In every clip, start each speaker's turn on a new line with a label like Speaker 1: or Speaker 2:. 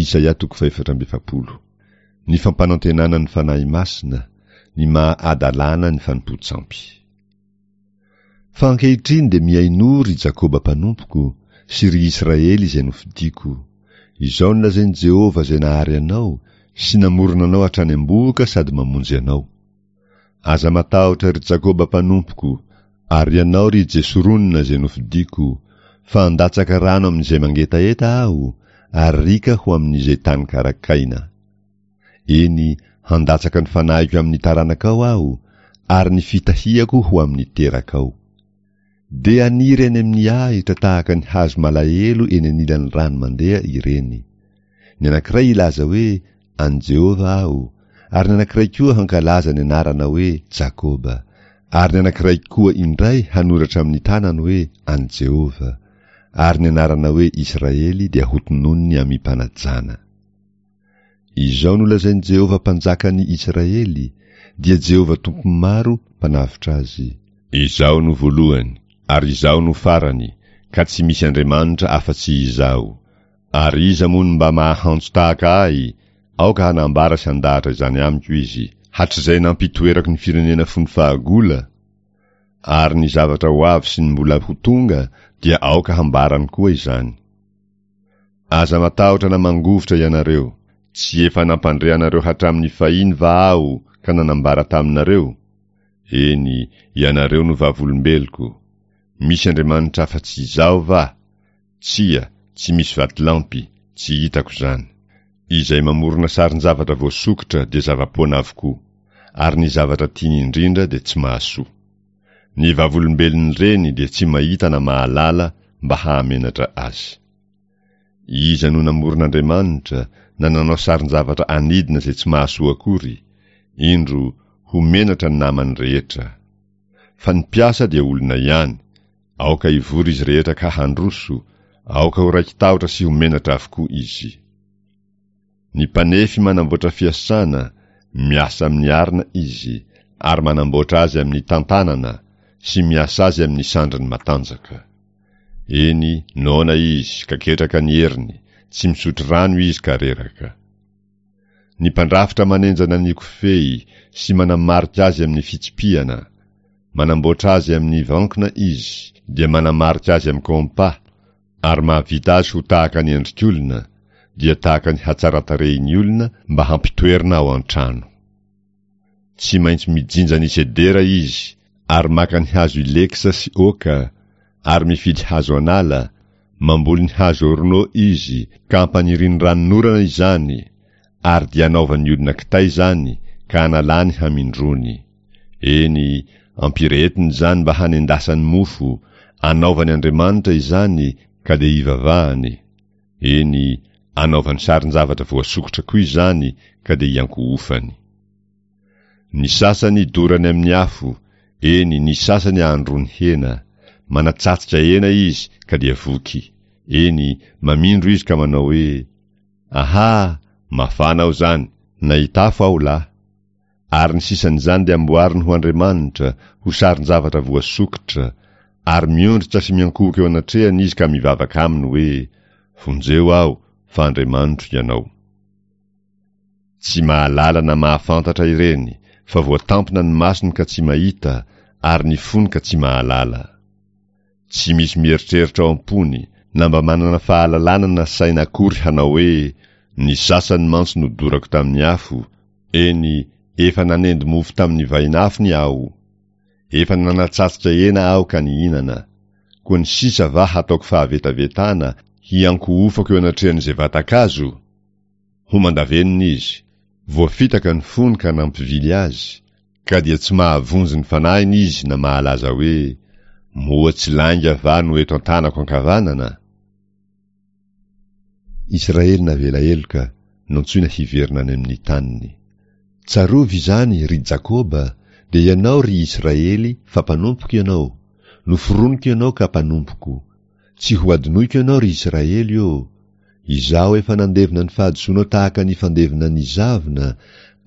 Speaker 1: Isaia toko fahefatra amby efapolo. Ny fampanantenana ny Fanahy Masina, ny maha adalàna ny fanompoan-tsampy. Fa ankehitriny dia mihainoa, ry Jakoba mpanompoko, sy ry Israely izay nofidiko. Izao no lazain'i Jehovah izay nahary anao, sy namorona anao hatrany am-bohoka sady mamonjy anao. Aza matahotra, ry Jakoba mpanompoko, ary ianao, ry Jesorona izay nofidiko, fa handatsaka rano amin'izay mangetaheta Aho, ary riaka ho amin'izay tany karakaina. Eny, handatsaka ny fanahiko amin'ny taranakao Aho, ary ny fitahiako ho amin'ny terakao. Dia haniry any amin'ny ahitra tahaka ny hazo malahelo eny anilan'ny rano mandeha ireny. Ny anankiray hilaza hoe, An'i Jehovah aho, ary ny anankiray koa hankalaza ny anarana hoe Jakoba, ary ny anankiray koa indray hanoratra amin'ny tanany hoe, An'i Jehovah, ary ny anarana hoe Israely dia hotononiny amim-panajana. Izao no lazain'i Jehovah Mpanjakan'ny Israely, dia Jehovah Tompon'ny maro, Mpanavotra azy. Izaho no voalohany, ary Izaho no farany, ka tsy misy Andriamanitra afa-tsy Izaho. Ary iza moa no mba mahahantso tahaka Ahy? Aoka hanambara sy handahatra izany amiko izy. Hatrizay nampitoerako ny firenena fony fahagola, ary ny zavatra ho avy sy ny mbola ho tonga dia aoka hambarany koa izany. Aza matahotra na mangovitra ianareo, tsy efa nampandre anareo hatramin'ny fahiny va Aho ka nanambara taminareo? Eny, ianareo no vavolombeloko. Misy Andriamanitra afa-tsy Izaho va? Tsia, tsy misy vatolampy, tsy hitako izany. Izay mamorona sarin-javatra voasokitra dia zava-poana avokoa, ary ny zavatra tiany indrindra dia tsy mahasoa. Ny vavolombelon'ireny dia tsy mahita na mahalala mba hahamenatra azy. Iza no namorona Andriamanitra na nanao sarin-javatra anidina izay tsy mahasoa akory? Indro, ho menatra ny namany rehetra. Fa ny mpiasa dia olona ihany, aoka hivory izy rehetra ka handroso, aoka ho raiki-tahotra sy ho menatra avokoa izy. Ny mpanefy manamboatra fiasana, miasa amin'ny arina izy, ary manamboatra azy amin'ny tantanana, sy miasa azy amin'ny sandriny matanjaka. Eny, noana izy, ka ketraka ny heriny, tsy misotro rano izy ka reraka. Ny mpandrafitra manenjana ny kofehy sy manamarika azy amin'ny fitsipihana, manamboatra azy amin'ny vankina izy, dia manamarika azy amin'ny kompa, ary mahavita azy ho tahaka ny endrik'olona, dia tahaka ny hatsaran-tarehin'ny olona mba hampitoerina ao an-trano. Tsy maintsy mijinja ny sedera izy, ary maka ny hazo ileksa sy oaka, ary mifidy hazo an'ala, mamboly ny hazo orno izy, ka ampaniriny ranonorana izany, ary dia anaovan'ny olona kitay izany, ka analany hamindrony. Eny, ampirehetiny izany mba hanendasany mofo, anaovany andriamanitra izany, ka dia ivavahany. Eny, anaovany sarin-javatra voasokitra koa izany ka dia iankohofany. Ny sasany dorany amin'ny afo, eny, ny sasany ahandroany hena. Manatsatsika hena izy ka dia voky. Eny, mamindro izy ka manao hoe, Aha! Mafana aho izany! Nahita afo aho lahy. Ary ny sisan'izany dia amboariny ho andriamanitra, ho sarin-javatra voasokitra, ary miondrika sy miankohoka eo anatrehany izy ka mivavaka aminy hoe, Vonjeo aho, fa andriamanitro ianao. Tsy mahalala na mahafantatra ireny, fa voatampina ny masony ka tsy mahita, ary ny fony ka tsy mahalala. Tsy misy mieritreritra ao am-pony, na mba manana fahalalana na saina akory hanao hoe, Ny sasany mantsy nodorako tamin'ny afo, eny, efa nanendy mofo tamin'ny vainafony aho. Efa nanatsatsika hena aho ka nihinana. Koa ny sisa va hataoko fahavetavetana, hiankohofako eo anatrehan'izay vatan-kazo? Homan-davenona izy. Voafitaka ny fony ka nampivily azy, Ka dia tsy mahavonjy ny fanahiny izy na mahalaza hoe, Moa tsy lainga va no eto an-tanako ankavanana? Israely navela heloka, nantsoina hiverina any amin'ny taniny. Tsarovy izany, ry Jakoba, dia ianao, ry Israely, fa mpanompoko ianao, noforoniko ianao ka mpanompoko. Tsy hohadinoiko ianao, ry Israely ô! Izaho efa nandevona ny fahadisoanao tahaka ny fandevona ny zavona,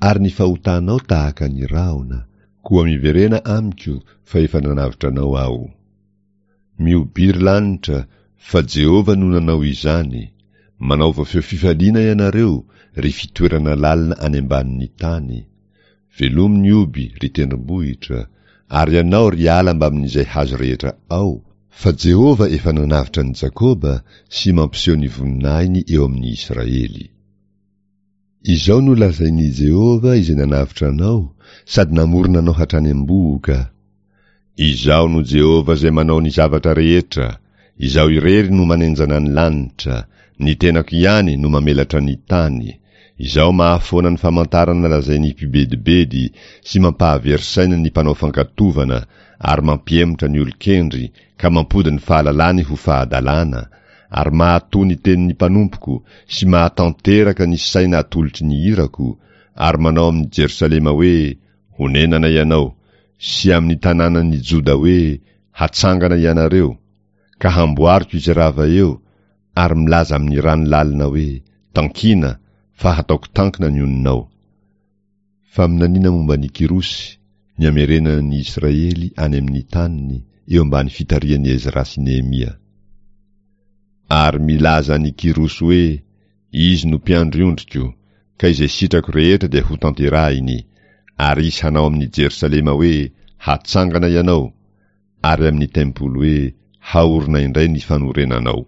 Speaker 1: ary ny fahotanao tahaka ny rahona. Koa miverena amiko, fa efa nanavotra anao Aho. Mihobiry lanitra, fa Jehovah no nanao izany. Manaova feo fifaliana ianareo, ry fitoerana lalina any ambanin'ny tany. Velomy ny oby, ry tendrombohitra, ary ianao, ry ala mbamin'izay hazo rehetra ao, fa Jehovah efa nanavotra an'i Jakoba sy mampiseho ny voninahiny eo amin'ny Israely. Izao no lazain'i Jehovah izay nanavotra anao sady namorona anao hatrany am-bohoka, Izaho no Jehovah izay manao ny zavatra rehetra, Izaho irery no manenjana ny lanitra, ny tenako ihany no mamelatra ny tany, Izaho mahafoana ny famantarana lazain'ny mpibedibedy sy mampahavery saina ny mpanao fankatovana ary mampihemotra ny olon-kendry ka mampody ny fahalalany ho fahadalana, ary mahatoa ny tenin'ny mpanompoko sy mahatanteraka ny saina atolotry ny irako, ary manao amin'i Jerosalema hoe, Honenana ianao, sy amin'ny tanànan'i Joda hoe, Hatsangana ianareo, ka hamboariko izay rava eo, ary milaza amin'ny rano lalina hoe, Tankina, fa hataoko tankina ny oninao. Faminaniana momba an'i Kyrosy, ny hamerenana ny Israely any amin'ny taniny, eo ambany fitarihan'i Ezra sy Nehemia. Ary milaza an'i Kyrosy hoe, Izy no mpiandry ondriko, ka izay sitrako rehetra dia hotanterahiny, ary hisy hanao amin'i Jerosalema hoe, Hatsangana ianao, ary amin'ny tempoly hoe, Haorina indray ny fanorenanao.